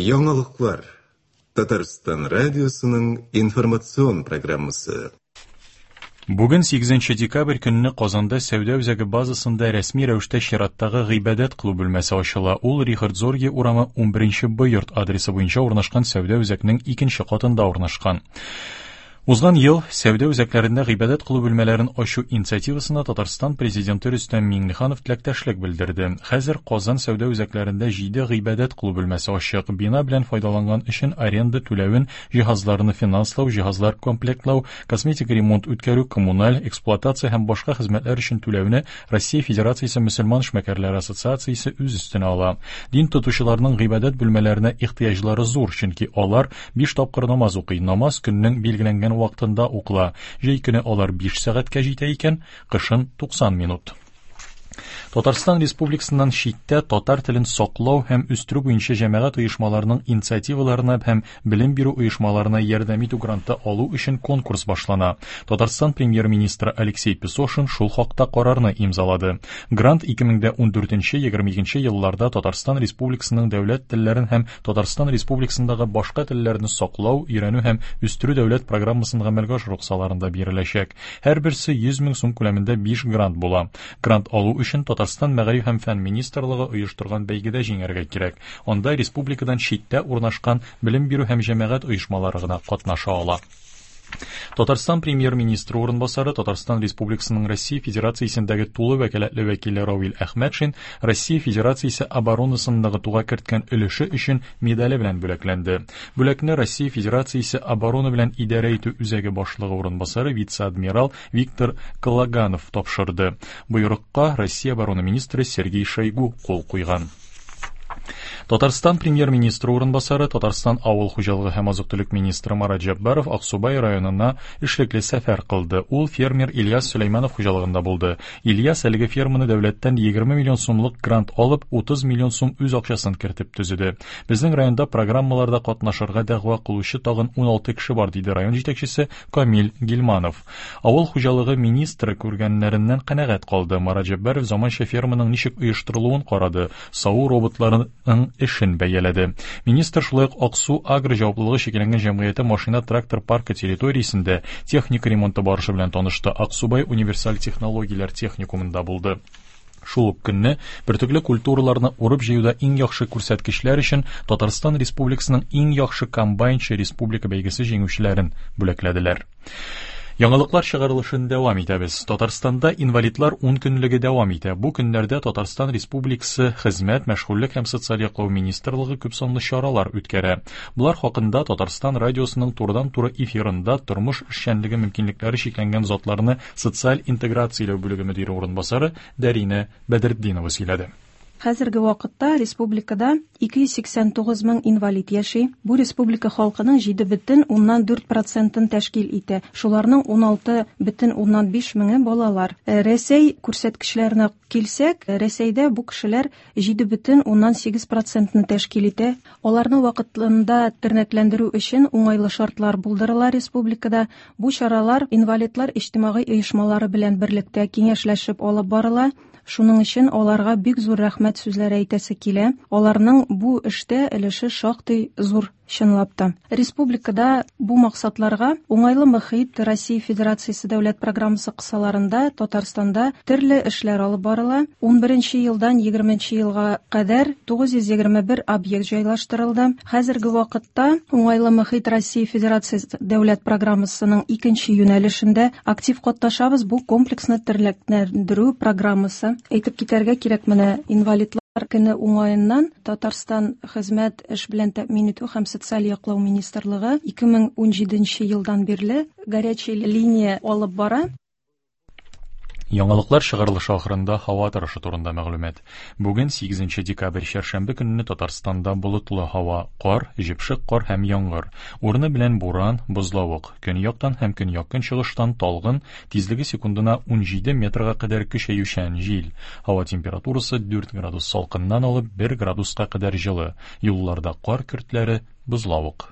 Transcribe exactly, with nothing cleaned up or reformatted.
Яңалыклар. Татарстан радиосының информацион программасы. Бүген сигезенче декабрь көнне Казанда сәүдә үзәге базасында рәсми рәвештә чираттагы гыйбадәт кылу бүлмәсе ачыла. Ул Рихард Зорге урамы унберенче Б йорт адресы буенча урнашкан сәүдә үзәкнең икенче катында урнашкан. Узган ел сәүдә үзәкләрендә гыйбадәт кылу бүлмәләрен ачу инициативасына Татарстан президенты Рөстәм Миңнеханов теләктәшлек белдерде. Хәзер Казан сәүдә үзәкләрендә җиде гыйбадәт кылу бүлмәсе ачык. Бина белән файдаланган өчен аренда түләвен, җиһазларны финанслау, җиһазлар комплектлау, косметик ремонт үткәрү, коммуналь, эксплуатация һәм башка хезмәтләр өчен түләүне Россия Федерациясе мөселман эшмәкәрләре ассоциациясе үз өстенә ала. Дин тотучыларның гыйбадәт бүлмәләренә ихтыяҗлары зур, чөнки алар биш тапкыр намаз укый. Намаз көннең билгеләнгән вакытында укыла. Җәй көне алар биш сәгатькә җитә икән, кышын туксан минут. Татарстан Республикасыннан читтә татар телен саклау һәм үстерү буенча җәмәгать оешмаларының инициативаларына һәм белем бирү оешмаларына ярдәм итү гранты алу өчен конкурс башлана. Татарстан премьер-министры Алексей Песошин шул хакта карарны имзалады. Грант ике мең дә ундүртенче егерме икенче елларда Татарстан Республикасының дәүләт телләрен һәм Татарстан Республикасындагы башка телләрне саклау, өйрәнү һәм үстерү дәүләт программасын гамәлгә ашыру кысаларында биреләчәк. Һәрберсе йөз мең сум күләмендә биш грант була. Грант алу өчен Татарстан Мәгариф һәм фән министрлыгы оештырган бәйгедә җиңәргә кирәк. Анда республикадан читтә урнашкан белем бирү һәм җәмәгать оешмалары гына катнаша ала. Татарстан премьер-министры урынбасары, Татарстан Республикасының Россия Федерациясендәге тулы вәкаләтле вәкиле Равил Әхмәтшин Россия Федерациясе оборонасын ныгытуга керткән өлеше өчен медале белән бүләкләнде. Бүләкне Россия Федерациясе оборона белән идарә итү үзәге башлыгы урынбасары вице-адмирал Виктор Калаганов тапшырды. Боерыкка Россия оборона министры Сергей Шойгу кул куйган. Татарстан премьер-министры урынбасары, Татарстан авыл хуҗалыгы һәм азык-төлек министры Марат Җәббаров Аксубай районына эшлекле сәфәр кылды. Ул фермер Ильяс Сөләйманов хуҗалыгында булды. Ильяс әлеге ферманы дәүләттән егерме миллион сумлык грант алып, утыз миллион сум үз акчасын кертеп төзеде. Безнең районда программаларда катнашырга дәгъва кылучы тагын уналты кеше бар, диде район җитәкчесе Камил Гилманов. Авыл хуҗалыгы министры күргәннәреннән канәгать калды. Марат Җәббаров заманча ферманың ничек оештырылуын карады. Саву роботларының эшен бәяләде. Министр шулай ук Аксу агро җаваплылыгы чикләнгән җәмгыяте машина-трактор паркы территориясендә техника ремонты барышы белән танышты. Аксубай универсаль технологияләр техникумында булды. Шул ук көнне бөртекле культураларны урып җыюда иң яхшы күрсәткечләр өчен Татарстан Республикасының иң яхшы комбайнчы республика бәйгесе җиңүчеләрен бүләкләделәр. Яңалыклар чыгарылышын дәвам итәбез. Татарстанда инвалидлар ун көнлеге дәвам итә. Бу көннәрдә Татарстан Республикасы Хезмәт, Мәшгульлек һәм Социаль яклау министрлыгы күп санлы чаралар үткәрә. Булар хакында Татарстан радиосының турыдан-туры эфирында тормыш эшчәнлеге мөмкинлекләре чикләнгән затларны социаль интеграцияләү бүлеге мөдире урынбасары Дәринә Бәдретдинова сөйләде. Хәзерге вакытта республикада ике йөз сиксән тугыз мең инвалид яши. Бу республика халкының җиде бөтен уннан дүрт процентын тәшкил итә. Шуларның уналты бөтен уннан биш меңе балалар. Э, Рәсәй күрсәткечләренә килсәк, Рәсәйдә бу кешеләр җиде бөтен уннан сигез процентны тәшкил итә. Аларны вакытлында тернәкләндерү өчен уңайлы шартлар булдырыла республикада. Бу чаралар инвалидлар иҗтимагый оешмалары белән берлектә киңәшләшеп алып барыла. Шуның өчен аларга бик зур рәхмәт сүзләре әйтәсе килә. Аларның бу эштә өлеше шактый зур чынлап та. Республикада бу максатларга уңайлы мөхит Россия Федерациясе дәүләт программасы кысаларында Татарстанда төрле эшләр алып барыла. Унберенче елдан егерменче елга кадәр тугыз йөз егерме бер объект җайлаштырылды. Хәзерге вакытта уңайлы мөхит Россия Федерациясе дәүләт программасының икенче юнәлешендә актив катнашабыз. Бу комплекслы тернәкләндерү программасы. Әйтеп китәргә кирәк, менә инвалидлар көне уңаеннан Татарстан Хезмәт, эш белән тәэмин итү һәм социаль яклау министрлыгы ике мең унҗиденче елдан бирле горячая линия алып бара. Яңалыклар чыгарылышы ахырында һава торышы турында мәгълүмат. Бүген сигезенче декабрь чәршәмбе көнне Татарстанда болытлы һава, кар, җепшек кар һәм яңгыр. Урыны белән буран, бозлавык. Көньяктан һәм көньяк-көнчыгыштан талгын, тизлеге секундына унҗиде метрга кадәр көчәючән җил. Һава температурасы дүрт градус салкыннан алып бер градуска кадәр җылы. Юлларда кар көртләре, бозлавык.